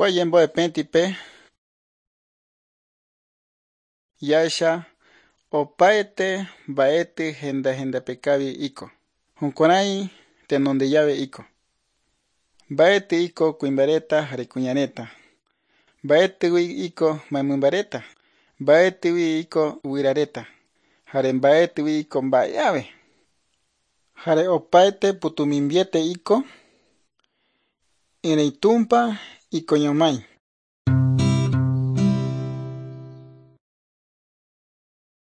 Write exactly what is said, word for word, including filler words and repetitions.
Kua ñembo'epẽtipe Jahecha opaete mba'ety henda hendapekavi iko. Jukuärái tenondejave iko. Mba'ety iko kuimba'ereta jare kuñareta. Mba'etýgui iko mymbareta. Mba'etýgui iko guyrareta. Jare mba'etýgui iko mba'eave. Jare opaete pytũmimbiete iko Ereitumpa ikoñomái.